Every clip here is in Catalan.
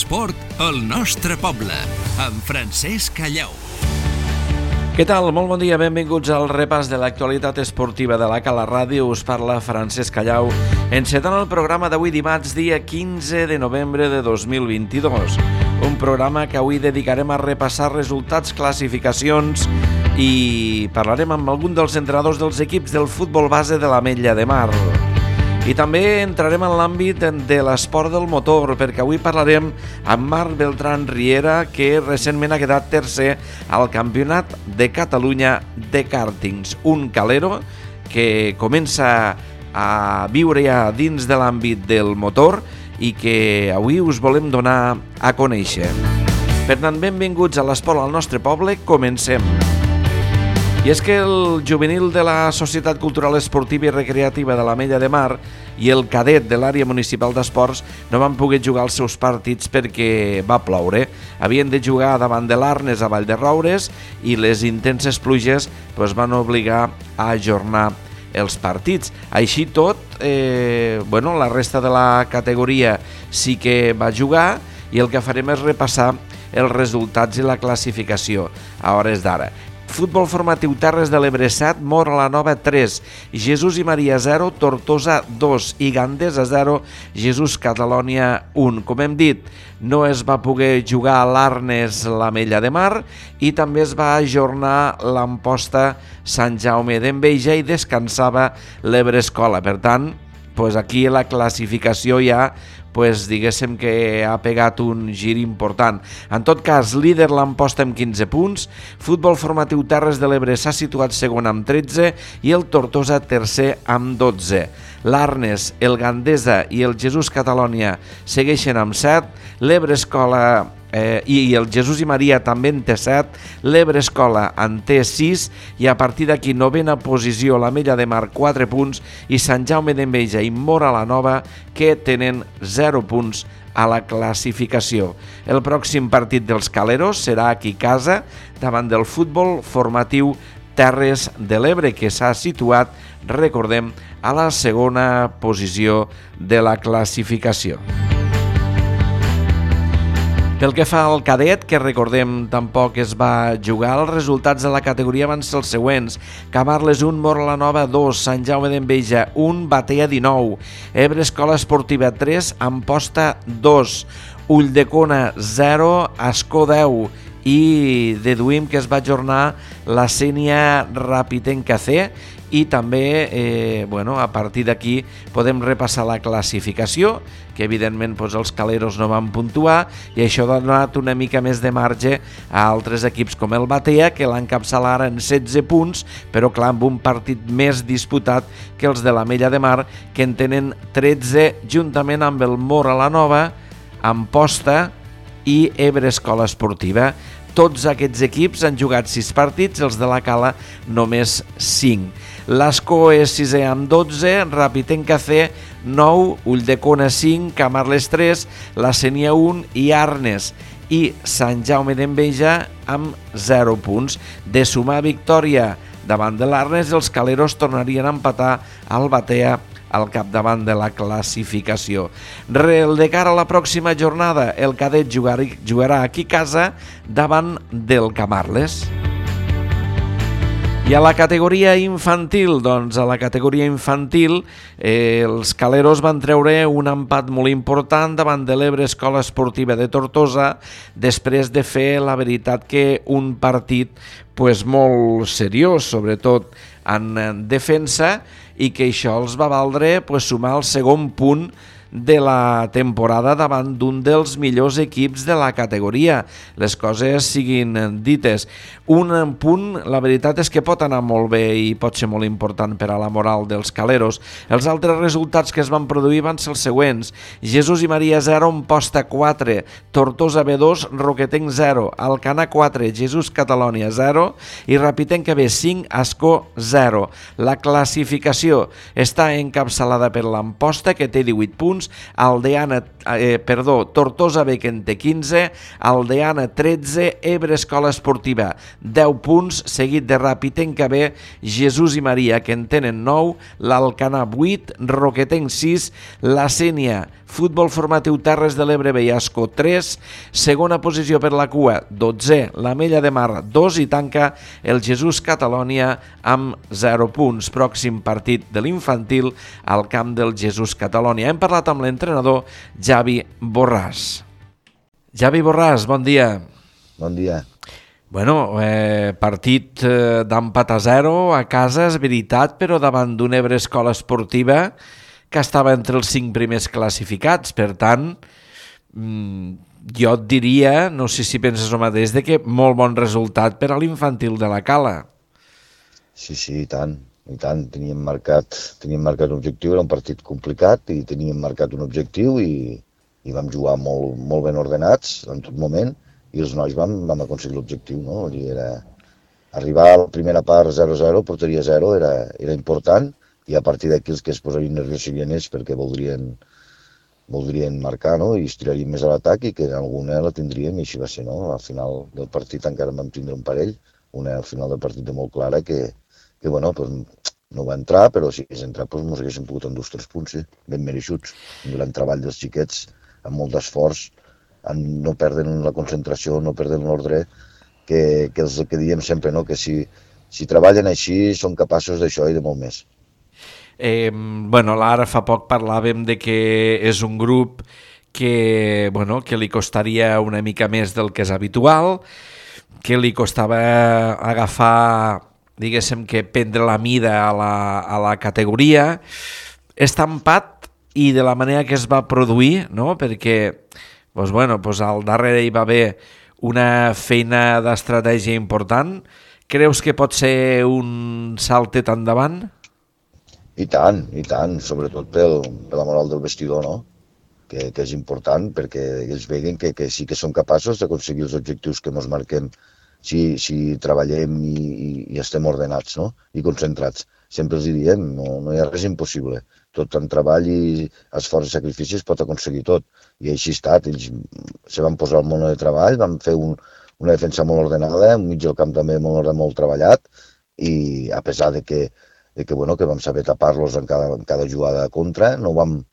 L'esport al nostre poble, amb Francesc Callau. Què tal? Molt bon dia, benvinguts al repàs de l'actualitat esportiva de la Cala Ràdio. Us parla Francesc Callau, encetant el programa d'avui dimarts, dia 15 de novembre de 2022. Un programa que avui dedicarem a repassar resultats, classificacions i parlarem amb algun dels entrenadors dels equips del futbol base de l'Ametlla de Mar. I també entrarem en l'àmbit de l'esport del motor, perquè avui parlarem amb Marc Beltrán Riera, que recentment ha quedat tercer al Campionat de Catalunya de Kàrtings. Un calero que comença a viure ja dins de l'àmbit del motor i que avui us volem donar a conèixer. Per tant, benvinguts a l'esport al nostre poble, comencem. I és que el juvenil de la Societat Cultural Esportiva i Recreativa de l'Ametlla de Mar i el cadet de l'àrea municipal d'esports no van poder jugar els seus partits perquè va ploure. Havien de jugar davant de l'Arnes a Vallderoures i les intenses pluges van obligar a ajornar els partits. Així tot, la resta de la categoria sí que va jugar i el que farem és repassar els resultats i la classificació a hores d'ara. Futbol formatiu Terres de l'Ebre 7, Móra la Nova 3, Jesús i Maria 0, Tortosa 2 i Gandesa 0, Jesús Catalònia 1. Com hem dit, no es va poder jugar a l'Arnes l'Ametlla de Mar i també es va ajornar l'Amposta Sant Jaume d'Enveja i descansava l'Ebre Escola. Per tant, aquí la classificació ja diguéssim que ha pegat un gir important. En tot cas, líder l'Amposta amb 15 punts, Futbol formatiu Terres de l'Ebre s'ha situat segon amb 13 i el Tortosa tercer amb 12. L'Arnes, el Gandesa i el Jesús Catalònia segueixen amb 7, l'Ebre Escola i el Jesús i Maria també en té 7, l'Ebre Escola en té 6 i a partir d'aquí novena posició l'Ametlla de Mar 4 punts i Sant Jaume d'Enveja i Móra la Nova que tenen 0 punts a la classificació. El pròxim partit dels caleros serà aquí a casa davant del Futbol formatiu Terres de l'Ebre que s'ha situat, recordem, a la segona posició de la classificació. Pel que fa al cadet, que recordem tampoc es va jugar, els resultats de la categoria van ser els següents: Camarles 1, Móra la Nova 2, Sant Jaume d'Enveja 1, Batea 19, Ebre Escola Esportiva 3, Amposta 2, Ulldecona 0, Ascó 10 i deduïm que es va ajornar la Sénia Rapitenca C i també, a partir d'aquí podem repassar la classificació, que evidentment els caleros no van puntuar i això ha donat una mica més de marge a altres equips com el Batea, que l'encapçala ara en 16 punts, però clar, amb un partit més disputat que els de l'Ametlla de Mar, que en tenen 13 juntament amb el Móra la Nova, Amposta i Ebre Escola Esportiva. Tots aquests equips han jugat 6 partits, els de la Cala només 5. L'Ascó és 6è amb 12, Rapitenca C 9, Ulldecona 5, Camarles 3, la Sénia 1 i Arnes i Sant Jaume d'Enveja amb 0 punts. De sumar victòria davant de l'Arnes, els caleros tornarien a empatar al Batea al capdavant de la classificació. De cara a la pròxima jornada, el cadet jugarà aquí a casa davant del Camarles. I a la categoria infantil, els caleros van treure un empat molt important davant de l'Ebre Escola Esportiva de Tortosa, després de fer, la veritat, que un partit molt seriós, sobretot en defensa, i que això els va valdre sumar el segon punt de la temporada davant d'un dels millors equips de la categoria. Les coses siguin dites. Un punt, la veritat és que pot anar molt bé i pot ser molt important per a la moral dels caleros. Els altres resultats que es van produir van ser els següents: Jesús i Maria 0, Amposta 4, Tortosa B2, Roquetenc 0, Alcanar 4, Jesús Catalònia 0 i Rapitenca B 5, Ascó 0. La classificació està encapçalada per l'Amposta, que té 18 punts, punts, Tortosa B, que en té 15, Aldeana 13, Ebre Escola Esportiva 10 punts, seguit de Rapitenca B, Jesús i Maria, que en tenen 9, l'Alcanar 8, Roquetenc 6, la Sénia, Futbol Formatiu Terres de l'Ebre B i Ascó 3, segona posició per la cua, 12, l'Amella de Mar 2 i tanca el Jesús Catalònia amb 0 punts. Pròxim partit de l'infantil al camp del Jesús Catalònia. Hem parlat amb l'entrenador Javi Borràs. Javi Borràs, bon dia. Bon dia. Bueno, partit d'empat a 0 a casa, és veritat, però davant d'un Ebre Escola Esportiva que estava entre els 5 primers classificats. Per tant, jo et diria, no sé si penses el mateix, de que molt bon resultat per a l'infantil de la Cala. Sí, i tant. Teníem marcat un objectiu, era un partit complicat i teníem marcat un objectiu i vam jugar molt ben ordenats en tot moment i els nois vam aconseguir l'objectiu, no? Arribar a la primera part 0-0, porteria 0, era important, i a partir d'aquí els que es posarien nerviosos serien ells perquè voldrien marcar, no? I es tirarien més a l'atac i que alguna la tindríem i així va ser, no? Al final del partit encara vam tindre un parell, una al final del partit de molt clara que bueno, pues, no va entrar, però si hagués entrat pues, ens haguéssim pogut endur 3 punts, sí, ben mereixuts. Un gran treball dels xiquets, amb molt d'esforç, no perden la concentració, no perden l'ordre, que és el que diem sempre, no? Que si treballen així són capaços d'això i de molt més. Ara fa poc parlàvem de que és un grup que li costaria una mica més del que és habitual, que li costava agafar, diguéssim, que prendre la mida a la categoria. Està empat i de la manera que es va produir, no? Perquè al darrere hi va haver una feina d'estratègia important. Creus que pot ser un saltet endavant? I tant, sobretot per la moral del vestidor, no? Que és important perquè ells veguen que sí que són capaços d'aconseguir els objectius que ens marquem si treballem i estem ordenats, no? I concentrats. Sempre els diem, no hi ha res impossible. Tot amb treball i esforç i sacrificis pot aconseguir tot. I així ha estat. Ells se van posar al món de treball, van fer una defensa molt ordenada, un mig del camp també molt treballat, i a pesar de que vam saber tapar-los en cada jugada contra, no vam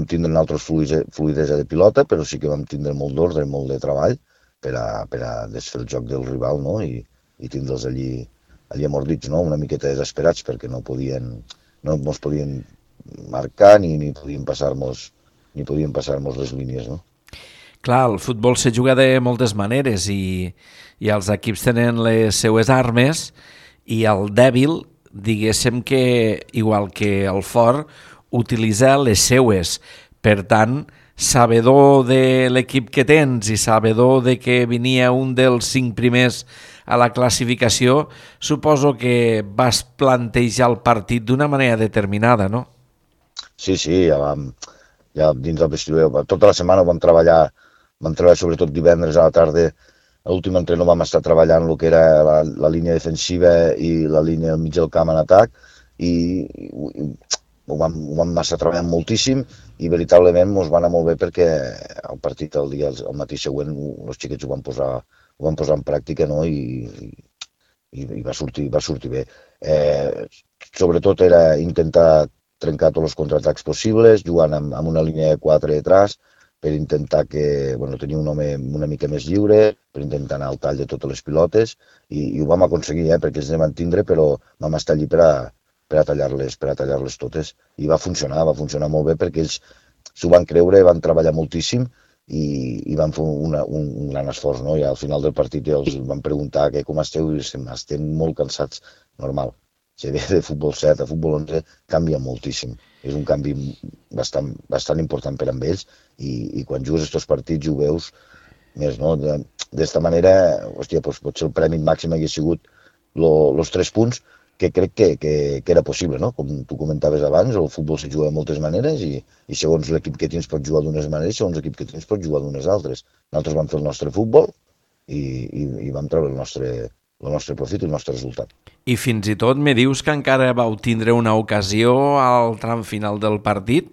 tindre altres fluidesa de pilota, però sí que vam tindre molt d'ordre, molt de treball per a desfer el joc del rival, no? I tindre'ls allí amordits, no? Una miqueta desesperats perquè no ens podien marcar ni podien passar-nos les línies, no? Clar, el futbol se juga de moltes maneres i els equips tenen les seues armes i el dèbil, diguéssim que, igual que el fort, utilitza les seues. Per tant, sabedor de l'equip que tens i sabedor de que venia un dels 5 primers a la classificació, suposo que vas plantejar el partit d'una manera determinada, no? Sí, ja dins del vestidor, tota la setmana vam treballar sobretot divendres a la tarda. A l'últim entrenament vam estar treballant el que era la línia defensiva i la línia del mig del camp en atac i ho vam estar treballant moltíssim i veritablement ens va anar molt bé perquè el partit el matí següent els xiquets ho van posar en pràctica, no? I va sortir bé. Sobretot era intentar trencar tots els contraatacs possibles, jugant amb una línia de 4 detrás, per intentar tenir un home una mica més lliure, per intentar anar al tall de totes les pilotes, i ho vam aconseguir, perquè els vam tindre, però vam estar allí per a tallar-les totes. I va funcionar molt bé, perquè ells s'ho van creure, van treballar moltíssim, i van fer un gran esforç, no? I al final del partit els van preguntar com esteu, i estem molt cansats, normal. Si ve de futbol 7 a futbol 11 canvia moltíssim. És un canvi bastant important per a ells i quan jugues aquests partits ho veus més, no? D'esta manera, potser el premi màxim hagués sigut els 3 punts, que crec que era possible, no? Com tu comentaves abans, el futbol se juga de moltes maneres i segons l'equip que tens pots jugar d'unes maneres, segons l'equip que tens pots jugar d'unes altres. Nosaltres vam fer el nostre futbol i vam treure el nostre profit i el nostre resultat. I fins i tot me dius que encara vau tindre una ocasió al tram final del partit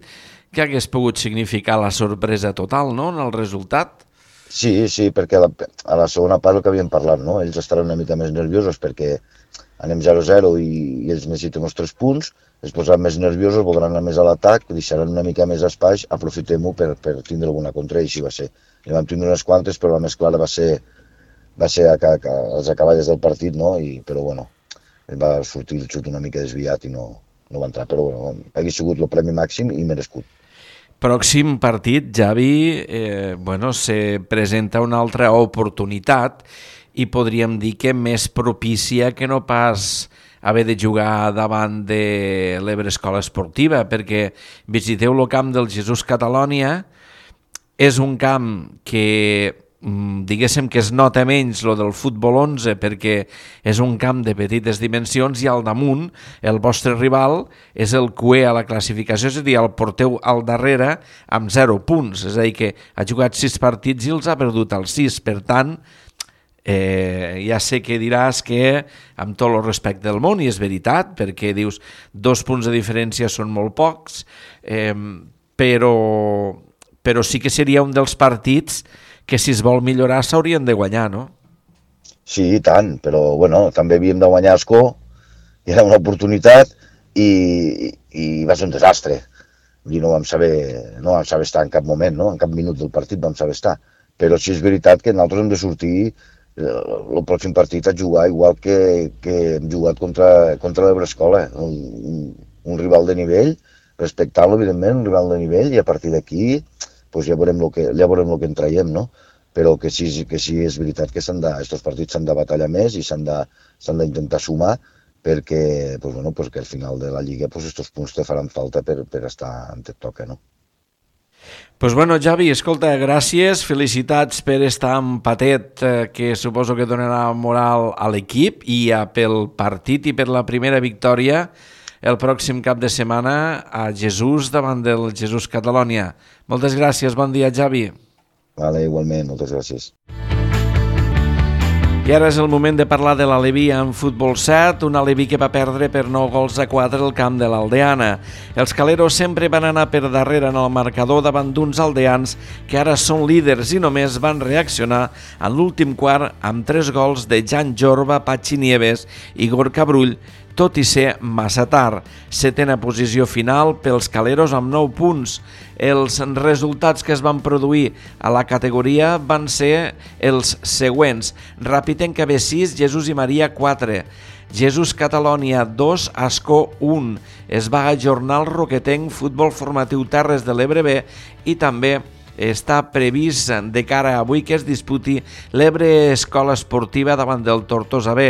que hagués pogut significar la sorpresa total, no?, en el resultat. Sí, perquè a la segona part el que havíem parlat, no? Ells estaran una mica més nerviosos perquè anem 0-0 i ells necessiten els 3 punts, es posaran més nerviosos, voldran anar més a l'atac, deixaran una mica més espai, aprofitem-ho per tindre alguna contra, i així va ser. I vam tindre unes quantes, però la més clara va ser a les acaballes del partit, no? Però bueno, va sortir el xut una mica desviat i no va entrar, però bueno, hauria sigut el premi màxim i merescut. Pròxim partit, Javi, se presenta una altra oportunitat i podríem dir que més propícia que no pas haver de jugar davant de l'Ebre Escola Esportiva, perquè visiteu el camp del Jesús Catalònia, és un camp que diguéssim que es nota menys lo del futbol 11 perquè és un camp de petites dimensions i al damunt el vostre rival és el cué a la classificació, és a dir, el porteu al darrere amb 0 punts, és a dir, que ha jugat 6 partits i els ha perdut els 6, per tant, ja sé que diràs que amb tot el respecte del món, i és veritat, perquè dius 2 punts de diferència són molt pocs, però sí que seria un dels partits que si es vol millorar s'haurien de guanyar, no? Sí, i tant, però bueno, també havíem de guanyar a Ascó, i era una oportunitat i va ser un desastre. I no vam saber estar en cap moment, no? En cap minut del partit vam saber estar. Però sí és veritat que nosaltres hem de sortir el pròxim partit a jugar igual que hem jugat contra l'Ebre Escola, un rival de nivell, respectant-lo, evidentment, un rival de nivell, i a partir d'aquí ja veurem el que en traiem, no? Però que sí és veritat que aquests partits s'han de batallar més i s'han d'intentar sumar perquè al final de la Lliga aquests punts te faran falta per estar on et toca, no? Javi, escolta, gràcies, felicitats per estar empatet, que suposo que donarà moral a l'equip, i pel partit i per la primera victòria el pròxim cap de setmana a Jesús davant del Jesús Catalònia. Moltes gràcies, bon dia, Javi. Vale, igualment, moltes gràcies. I ara és el moment de parlar de l'Aleví en futbol 7, un Aleví que va perdre per 9-4 el camp de l'Aldeana. Els caleros sempre van anar per darrere en el marcador davant d'uns aldeans que ara són líders i només van reaccionar en l'últim quart amb 3 gols de Jan Jorba, Patxi Nieves i Gorka Brull, tot i ser massa tard. 7a posició final pels caleros amb 9 punts. Els resultats que es van produir a la categoria van ser els següents: Rapitenca B 6, Jesús i Maria 4, Jesús Catalònia 2, Ascó 1. Es va ajornar el Roquetenc Futbol Formatiu Terres de l'Ebre B i també està previst de cara a avui que es disputi l'Ebre Escola Esportiva davant del Tortosa B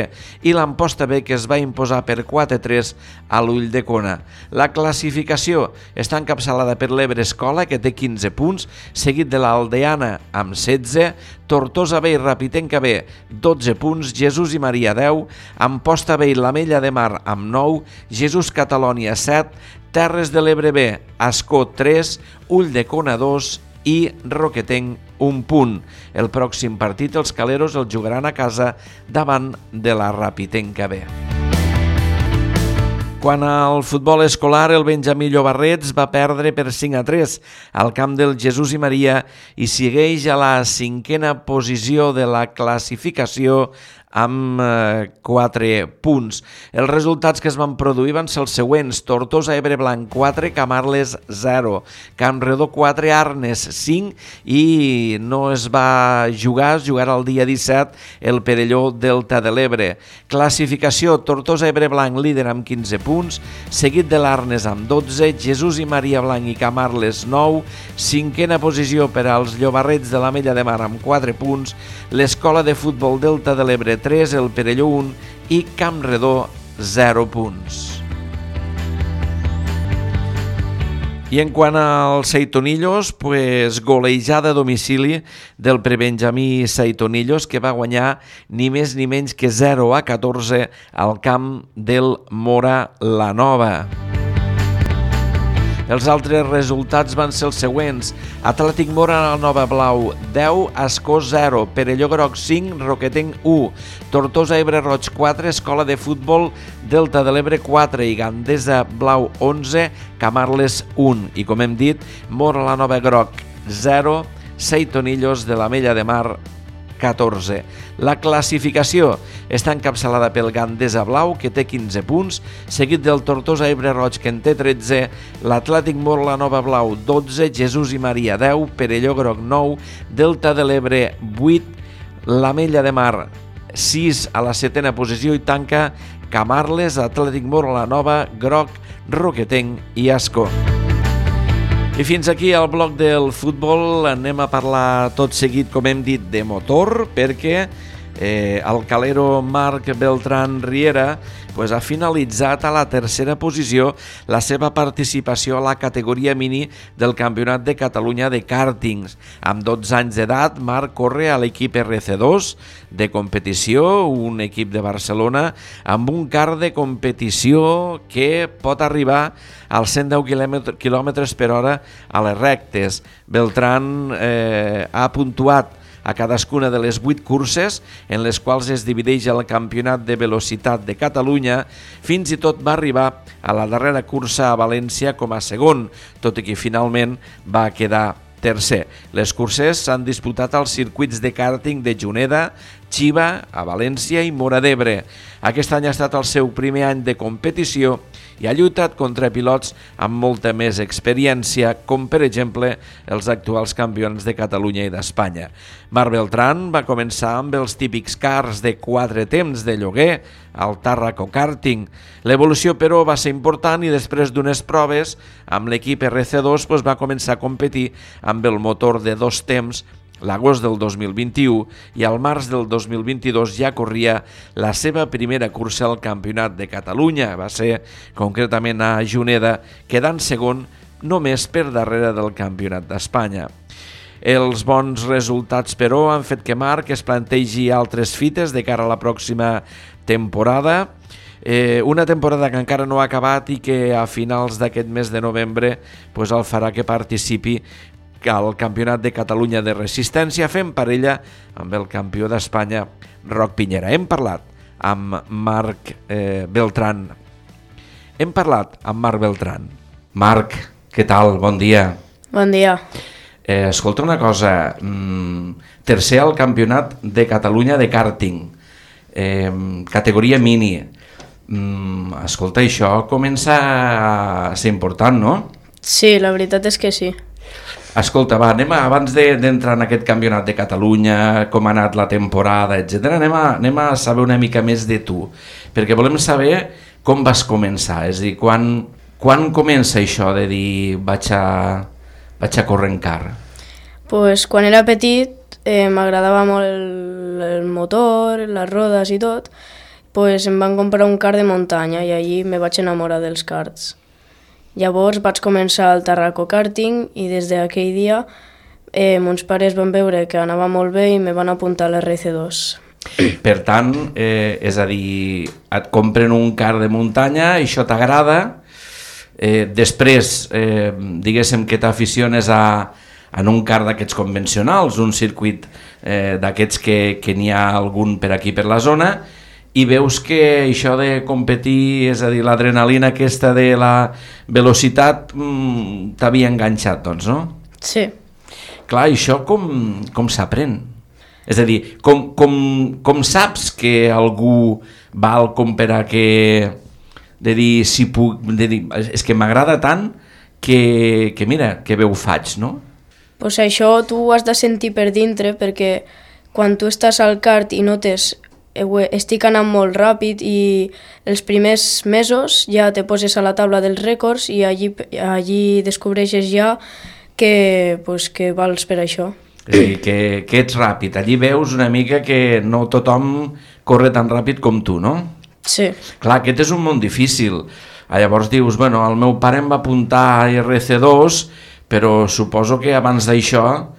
i l'Amposta B, que es va imposar per 4-3 a l'Ulldecona. La classificació està encapçalada per l'Ebre Escola, que té 15 punts, seguit de l'Aldeana amb 16, Tortosa B i Rapitenca B 12 punts, Jesús i Maria 10, Amposta B i l'Ametlla de Mar amb 9, Jesús Catalònia 7, Terres de l'Ebre B, Ascó 3, Ulldecona 2 i Roquetenc 1 punt. El pròxim partit els caleros el jugaran a casa davant de la Rapitenca B. Quant al futbol escolar, el Benjamí Llobarrets va perdre per 5-3 al camp del Jesús i Maria i segueix a la 5a posició de la classificació amb 4 punts. Els resultats que es van produir van ser els següents: Tortosa Ebre Blanc 4, Camarles 0, Campredó 4, Arnes 5 i no es va jugar, es jugarà el dia 17 el Perelló Delta de l'Ebre. Classificació: Tortosa Ebre Blanc líder amb 15 punts, seguit de l'Arnes amb 12, Jesús i Maria Blanc i Camarles 9, 5a posició per als Llobarrets de l'Ametlla de Mar amb 4 punts, l'Escola de Futbol Delta de l'Ebre 3, el Perelló 1 i Campredó 0 punts. I en quant als Seitonillos, golejada a domicili del prebenjamí Seitonillos, que va guanyar ni més ni menys que 0-14 al camp del Mora la Nova. Els altres resultats van ser els següents: Atlètic Móra Nova Blau 10, Ascó 0, Perelló Groc 5, Roquetenc 1, Tortosa Ebre Roig 4, Escola de Futbol Delta de l'Ebre 4 i Gandesa Blau 11, Camarles 1. I com hem dit, Móra la Nova Groc 0, Seitonillos de l'Amella de Mar 14. La classificació està encapçalada pel Gandesa Blau, que té 15 punts, seguit del Tortosa Ebre Roig, que en té 13, l'Atlètic Móra la Nova Blau 12, Jesús i Maria 10, Perelló Groc 9, Delta de l'Ebre 8, l'Amella de Mar 6 a la 7a posició i tanca Camarles, Atlètic Móra la Nova, Groc, Roquetenc i Ascó. I fins aquí el bloc del futbol. Anem a parlar tot seguit, com hem dit, de motor, perquè el calero Marc Beltrán Riera ha finalitzat a la tercera posició la seva participació a la categoria mini del Campionat de Catalunya de kàrtings. Amb 12 anys d'edat, Marc corre a l'equip RC2 de competició, un equip de Barcelona, amb un kart de competició que pot arribar als 110 km per hora a les rectes. Beltrán ha puntuat a cadascuna de les 8 curses en les quals es divideix el Campionat de Velocitat de Catalunya. Fins i tot va arribar a la darrera cursa a València com a segon, tot i que finalment va quedar tercer. Les curses s'han disputat als circuits de kàrting de Juneda, Xiva, a València i Móra d'Ebre. Aquest any ha estat el seu primer any de competició i ha lluitat contra pilots amb molta més experiència, com per exemple els actuals campions de Catalunya i d'Espanya. Marc Beltrán va començar amb els típics cars de 4 temps de lloguer al Tàrraco Karting. L'evolució, però, va ser important i després d'unes proves amb l'equip RC2 va començar a competir amb el motor de 2 temps l'agost del 2021 i al març del 2022 ja corria la seva primera cursa al Campionat de Catalunya. Va ser concretament a Juneda, quedant segon només per darrere del Campionat d'Espanya. Els bons resultats, però, han fet que Marc es plantegi altres fites de cara a la pròxima temporada. Una temporada que encara no ha acabat i que a finals d'aquest mes de novembre el farà que participi al Campionat de Catalunya de Resistència, fent parella amb el campió d'Espanya, Roc Piñera. Hem parlat amb Marc Beltrán. Marc, què tal? Bon dia. Bon dia. Escolta una cosa, tercer al Campionat de Catalunya de kàrting, categoria mini. Escolta, això comença a ser important, no? Sí, la veritat és que sí. Escolta, va, abans d'entrar en aquest Campionat de Catalunya, com ha anat la temporada, etc., anem a saber una mica més de tu, perquè volem saber com vas començar, és a dir, quan comença això de dir vaig a córrer en car? Pues quan era petit m'agradava molt el motor, les rodes i tot, em van comprar un kart de muntanya i allí me vaig enamorar dels karts. Llavors vaig començar al Tàrraco Karting i des d'aquell dia mons pares van veure que anava molt bé i me van apuntar a l'RC2. Per tant, és a dir, et compren un kart de muntanya, això t'agrada, després, diguéssim que t'aficiones en un kart d'aquests convencionals, un circuit d'aquests que n'hi ha algun per aquí per la zona, i veus que això de competir, és a dir, l'adrenalina aquesta de la velocitat t'havia enganxat, doncs, no? Sí. Clar, això com s'aprèn? És a dir, com saps que algú val com per a que... de dir, si puc... de dir, és que m'agrada tant que mira, que bé ho faig, no? Pues això tu ho has de sentir per dintre, perquè quan tu estàs al kart i notes estic anant molt ràpid i els primers mesos ja te poses a la taula dels rècords i allí descobreixes ja que vals per això. És a dir, que ets ràpid. Allí veus una mica que no tothom corre tan ràpid com tu, no? Sí. Clar, aquest és un món difícil. Llavors dius, bueno, el meu pare em va apuntar a RC2, però suposo que abans d'això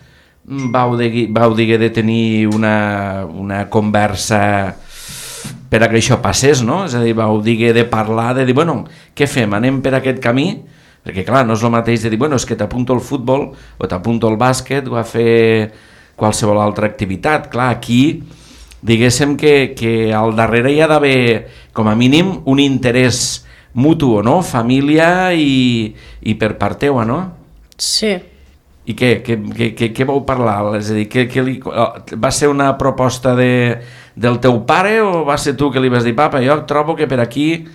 vau diguer de tenir una conversa per a que això passés, no? És a dir, vau diguer de parlar, de dir, bueno, què fem? Anem per aquest camí? Perquè clar, no és el mateix de dir, bueno, és que t'apunto al futbol o t'apunto al bàsquet o a fer qualsevol altra activitat. Clar, aquí diguéssim que al darrere hi ha d'haver com a mínim un interès mutu, no? Família i per part teua, no? Sí. I què vau parlar? És a dir, va ser una proposta del teu pare o va ser tu que li vas dir, papa, jo trobo que per aquí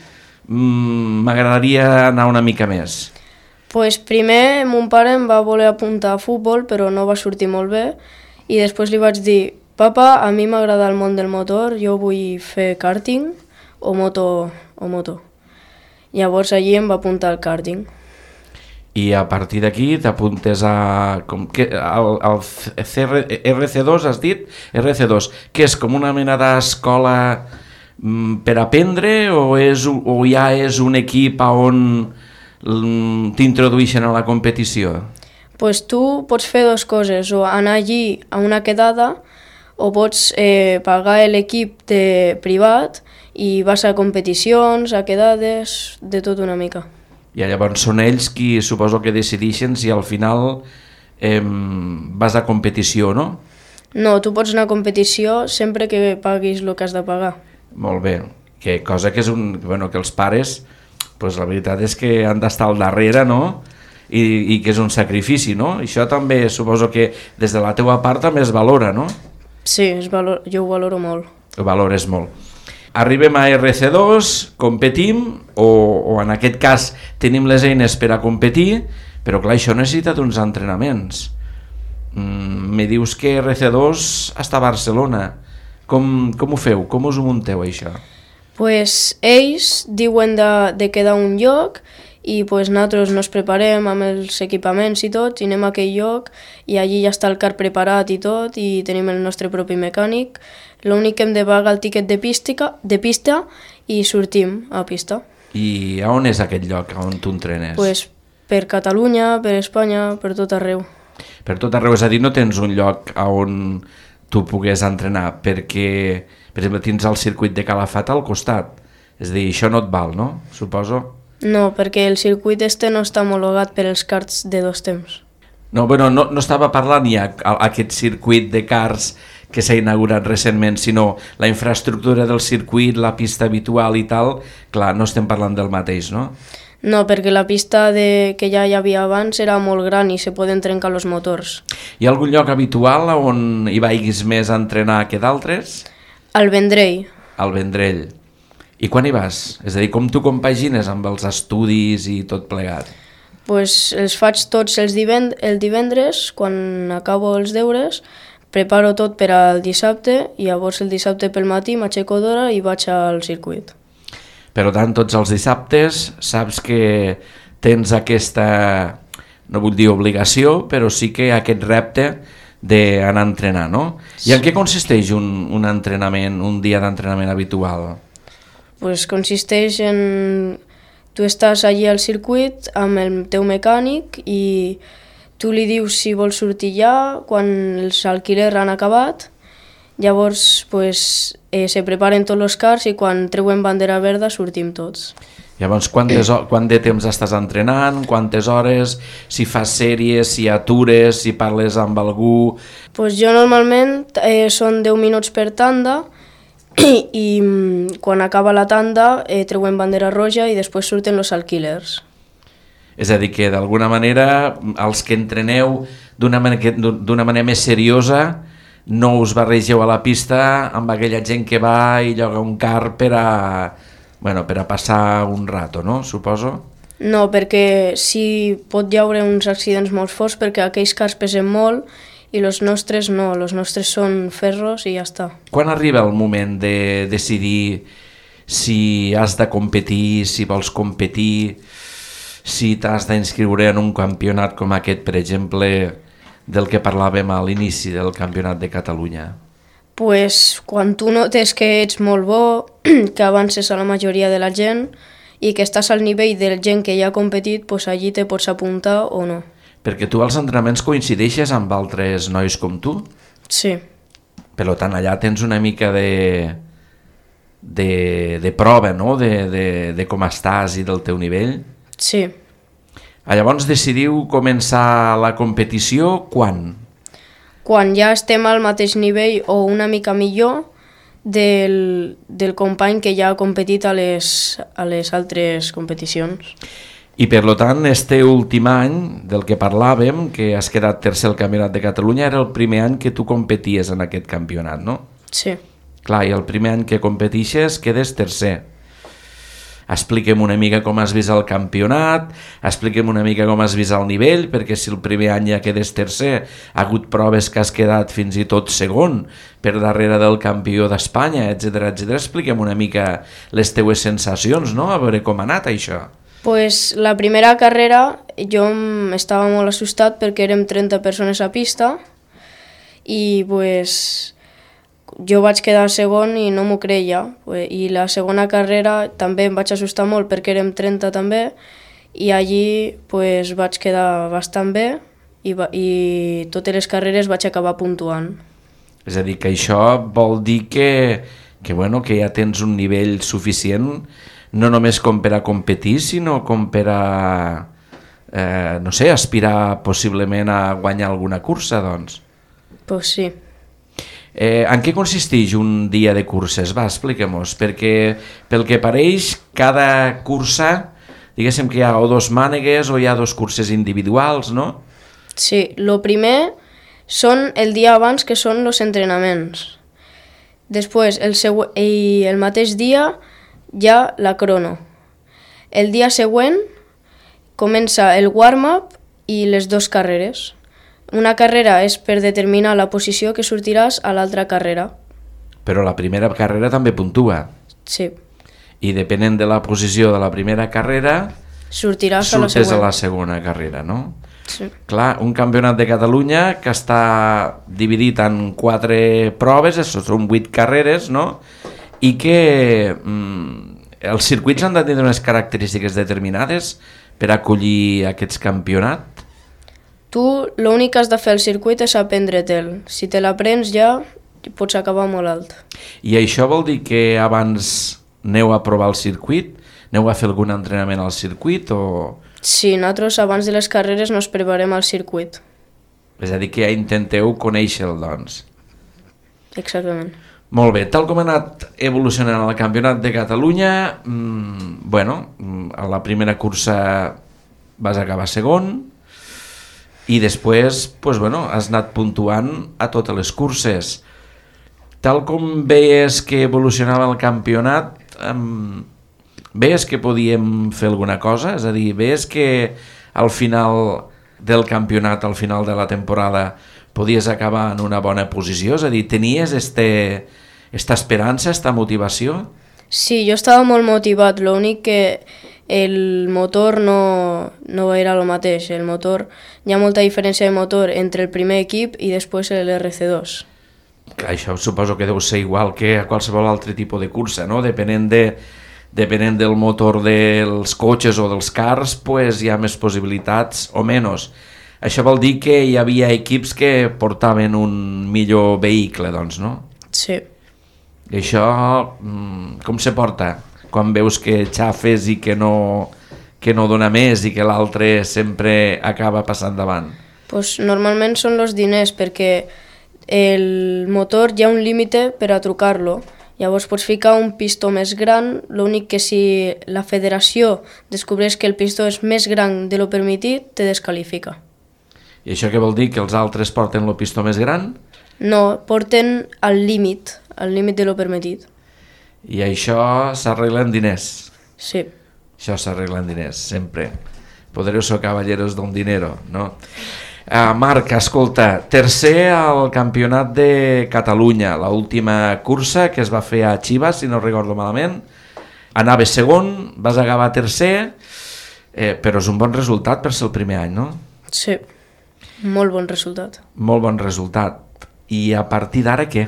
m'agradaria anar una mica més? Pues primer mon pare em va voler apuntar a futbol, però no va sortir molt bé, i després li vaig dir, papa, a mi m'agrada el món del motor, jo vull fer karting o moto. Llavors allí em va apuntar al karting. I a partir d'aquí t'apuntes al RC2, has dit? RC2, que és com una mena d'escola per aprendre o ja és un equip on t'introdueixen a la competició? Pues tu pots fer dues coses, o anar allí a una quedada o pots pagar l'equip privat i vas a competicions, a quedades, de tot una mica. I llavors són ells qui suposo que decideixen si al final vas a competició, no? No, tu pots anar a competició sempre que paguis el que has de pagar. Molt bé, que cosa que és que els pares, pues la veritat és que han d'estar al darrere, no? I que és un sacrifici, no? Això també suposo que des de la teua part també es valora, no? Sí, jo ho valoro molt. Ho valores molt. Arribem a RC2, competim, o en aquest cas tenim les eines per a competir, però clar, això necessita uns entrenaments. Me dius que RC2 està a Barcelona. Com ho feu? Com us ho munteu, això? Pues ells diuen de quedar un lloc i pues nosaltres nos preparem amb els equipaments i tot, i anem a aquell lloc i allí ja està el car preparat i tot, i tenim el nostre propi mecànic. L'únic que hem de pagar el tiquet de pista i sortim a pista. I a on és aquest lloc on tu entrenes? Pues per Catalunya, per Espanya, per tot arreu. Per tot arreu, és a dir, no tens un lloc on tu pogués entrenar, perquè, per exemple, tens el circuit de Calafat al costat. És a dir, això no et val, no? Suposo? No, perquè el circuit no està homologat per els karts de dos temps. No, bueno, no estava parlant ja aquest circuit de karts que s'ha inaugurat recentment, sinó la infraestructura del circuit, la pista habitual i tal, clar, no estem parlant del mateix, no? No, perquè la pista que ja hi havia abans era molt gran i se poden trencar els motors. Hi ha algun lloc habitual on hi vagis més a entrenar que d'altres? Al Vendrell. Al Vendrell. I quan hi vas? És a dir, com tu compagines amb els estudis i tot plegat? Pues els faig tots el divendres, quan acabo els deures, preparo tot per al dissabte i llavors el dissabte pel matí m'aixeco d'hora i vaig al circuit. Per tant, tots els dissabtes saps que tens aquesta, no vull dir obligació, però sí que aquest repte d'anar a entrenar, no? I en què consisteix un entrenament, un dia d'entrenament habitual? Pues consisteix en... Tu estàs allí al circuit amb el teu mecànic i tu li dius si vols sortir ja quan els alquilers han acabat. Llavors pues, se preparen tots els cars i quan treuen bandera verda sortim tots. Llavors, quant de temps estàs entrenant, quantes hores, si fas sèries, si atures, si parles amb algú... Pues jo normalment són 10 minuts per tanda i quan acaba la tanda treuen bandera roja i després surten els alquilers. És a dir, que d'alguna manera els que entreneu d'una manera més seriosa no us barregeu a la pista amb aquella gent que va i lloga un car per a passar un rato, no? Suposo? No, perquè sí pot hi haure uns accidents molt forts perquè aquells cars pesen molt i els nostres no, els nostres són ferros i ja està. Quan arriba el moment de decidir si has de competir, si vols competir, si t'has d'inscriure en un campionat com aquest, per exemple, del que parlàvem a l'inici del Campionat de Catalunya? Pues quan tu notes que ets molt bo, que avances a la majoria de la gent i que estàs al nivell de gent que ja ha competit, pues allí te pots apuntar o no. Perquè tu als entrenaments coincideixes amb altres nois com tu? Sí. Per tant, allà tens una mica de prova, no?, de com estàs i del teu nivell. Sí. Llavors decidiu començar la competició quan? Quan ja estem al mateix nivell o una mica millor del company que ja ha competit a les altres competicions. I per tant, este últim any del que parlàvem, que has quedat tercer al Campionat de Catalunya, era el primer any que tu competies en aquest campionat, no? Sí. Clar, i el primer any que competixes quedes tercer. Expliquem una mica com has vist el campionat, expliquem una mica com has vist el nivell, perquè si el primer any ja quedes tercer, ha hagut proves que has quedat fins i tot segon per darrere del campió d'Espanya, etc etc. Expliquem una mica les teues sensacions, no? A veure com ha anat això. Pues la primera carrera jo estava molt assustat perquè érem 30 persones a pista i pues jo vaig quedar segon i no m'ho creia. I la segona carrera també em vaig assustar molt perquè érem 30 també i allí pues, vaig quedar bastant bé i totes les carreres vaig acabar puntuant. És a dir, que això vol dir que ja tens un nivell suficient no només com per a competir, sinó com per a aspirar possiblement a guanyar alguna cursa, doncs. Pues sí. En què consisteix un dia de curses? Va, expliquem-nos, perquè pel que pareix cada cursa, diguéssim que hi ha o dos mànegues o hi ha dos curses individuals, no? Sí, el primer són el dia abans, que són els entrenaments. Després, el mateix dia hi ha la crono. El dia següent comença el warm-up i les dues carreres. Una carrera és per determinar la posició que sortiràs a l'altra carrera. Però la primera carrera també puntua. Sí. I depenent de la posició de la primera carrera, sortiràs a la següent. surtes a la segona carrera, no? Sí. Clar, un campionat de Catalunya que està dividit en 4 proves, són 8 carreres, no? I que els circuits han de tenir unes característiques determinades per acollir aquests campionats. Tu l'únic que has de fer al circuit és aprendre-te'l. Si te l'aprens ja pots acabar molt alt. I això vol dir que abans aneu a provar el circuit? Aneu a fer algun entrenament al circuit o...? Sí, nosaltres abans de les carreres nos preparem al circuit. És a dir, que ja intenteu conèixer-lo, doncs. Exactament. Molt bé, tal com ha anat evolucionant el Campionat de Catalunya, a la primera cursa vas acabar segon i després has anat puntuant a totes les curses. Tal com veies que evolucionava el campionat, veies que podíem fer alguna cosa? És a dir, veies que al final del campionat, al final de la temporada, podies acabar en una bona posició? És a dir, tenies esta esperança, esta motivació? Sí, jo estava molt motivat, l'únic que el motor no era el mateix. El motor, hi ha molta diferència de motor entre el primer equip i després l'RC2. Això suposo que deu ser igual que a qualsevol altre tipus de cursa, no? Depenent del motor dels cotxes o dels cars, hi ha més possibilitats o menys. Això vol dir que hi havia equips que portaven un millor vehicle, doncs, no? Sí. I això com se porta? Quan veus que xafes i que no dona més i que l'altre sempre acaba passant davant? Pues normalment són els diners, perquè el motor hi ha un límit per a trucar-lo. Llavors pots ficar un pistó més gran, l'únic que si la federació descobreix que el pistó és més gran de lo permitit, te descalifica. I això què vol dir? Que els altres porten el pistó més gran? No, porten al límit de lo permitit. I això s'arregla en diners? Sí. Això s'arregla en diners, sempre. Poderosos caballeros d'un dinero, no? Marc, escolta, tercer al Campionat de Catalunya, l'última cursa que es va fer a Chivas, si no recordo malament. Anaves segon, vas acabar tercer, però és un bon resultat per ser el primer any, no? Sí, molt bon resultat. Molt bon resultat. I a partir d'ara què?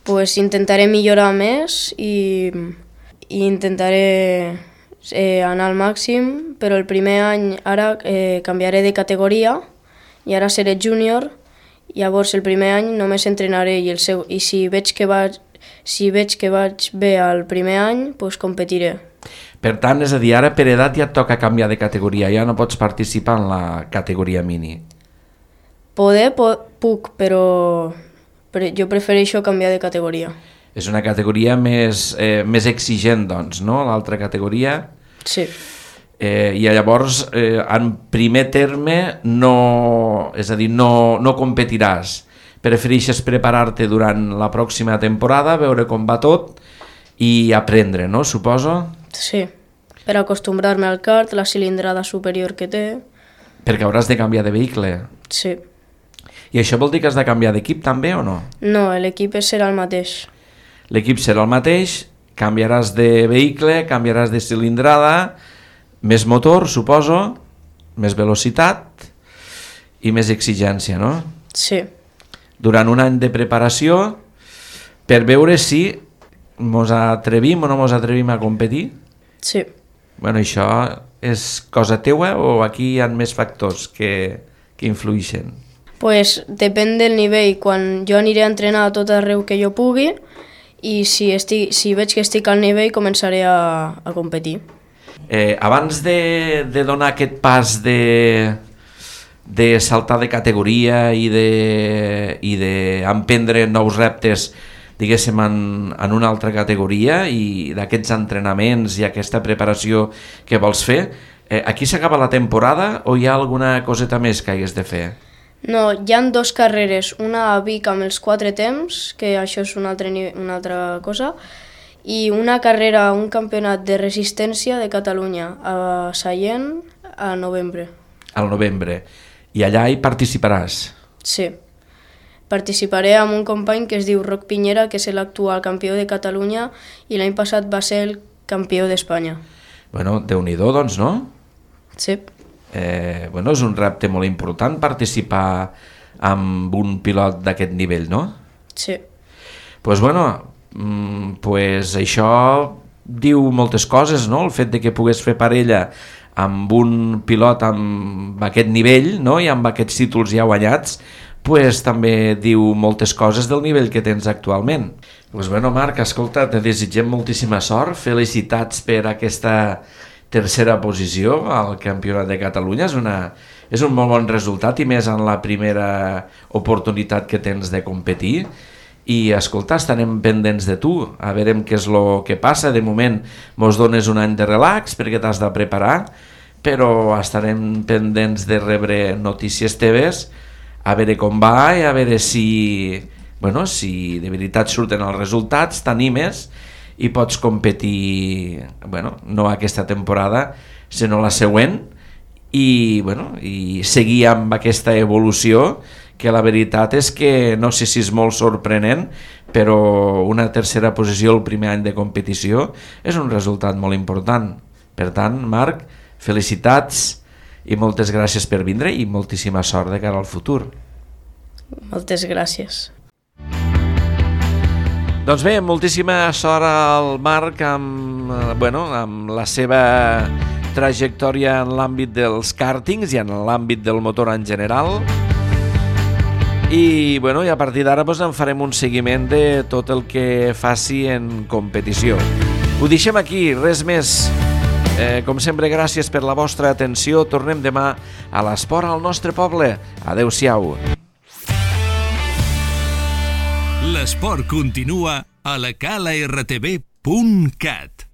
Pues intentaré millorar més i intentaré anar al màxim, però el primer any ara canviaré de categoria i ara seré júnior. Llavors el primer any només entrenaré i si veig que vaig bé al primer any, pues competiré. Per tant, és a dir, ara per edat ja et toca canviar de categoria, ja no pots participar en la categoria mini. Puc, però jo prefereixo canviar de categoria. És una categoria més exigent, doncs, no? L'altra categoria. Sí. I llavors, en primer terme, és a dir, no competiràs. Prefereixes preparar-te durant la pròxima temporada, veure com va tot i aprendre, no? Suposo? Sí, per acostumbrar-me al kart, la cilindrada superior que té. Perquè hauràs de canviar de vehicle. Sí. I això vol dir que has de canviar d'equip també o no? No, l'equip serà el mateix. L'equip serà el mateix, canviaràs de vehicle, canviaràs de cilindrada, més motor, suposo, més velocitat i més exigència, no? Sí. Durant un any de preparació per veure si mos atrevim o no mos atrevim a competir? Sí. Bueno, això és cosa teua o aquí hi ha més factors que influïxen? Pues depèn del nivell. Quan jo aniré a entrenar a tot arreu que jo pugui i si veig que estic al nivell començaré a competir. Abans de donar aquest pas de saltar de categoria i d'emprendre nous reptes, diguéssim, en una altra categoria i d'aquests entrenaments i aquesta preparació que vols fer, aquí s'acaba la temporada o hi ha alguna coseta més que hagués de fer? No, hi ha 2 carreres, una a Vic amb els 4 temps, que això és una altra cosa, i una carrera, un campionat de resistència de Catalunya a Sallent a novembre. Al novembre. I allà hi participaràs? Sí. Participaré amb un company que es diu Roc Piñera, que és l'actual campió de Catalunya i l'any passat va ser el campió d'Espanya. Bueno, Déu-n'hi-do, doncs, no? Sí. Bueno, és un repte molt important participar amb un pilot d'aquest nivell, no? Sí. Pues bueno, pues això diu moltes coses, no? El fet de que pogués fer parella amb un pilot amb aquest nivell, no? I amb aquests títols ja guanyats, pues també diu moltes coses del nivell que tens actualment. Pues bueno, Marc, escolta, te desitgem moltíssima sort, felicitats per aquesta tercera posició al Campionat de Catalunya. És un molt bon resultat i més en la primera oportunitat que tens de competir. I escolta, estarem pendents de tu, a veure què és el que passa. De moment mos dones un any de relax perquè t'has de preparar, però estarem pendents de rebre notícies teves, a veure com va i a veure si de veritat surten els resultats, t'animes i pots competir, no aquesta temporada, sinó la següent, i seguir amb aquesta evolució, que la veritat és que no sé si és molt sorprenent, però una tercera posició el primer any de competició és un resultat molt important. Per tant, Marc, felicitats i moltes gràcies per vindre i moltíssima sort de cara al futur. Moltes gràcies. Doncs bé, moltíssima sort al Marc amb la seva trajectòria en l'àmbit dels kàrtings i en l'àmbit del motor en general. I a partir d'ara en farem un seguiment de tot el que faci en competició. Ho deixem aquí, res més. Com sempre, gràcies per la vostra atenció. Tornem demà a l'esport al nostre poble. Adéu-siau. L'esport continua a la calartv.cat.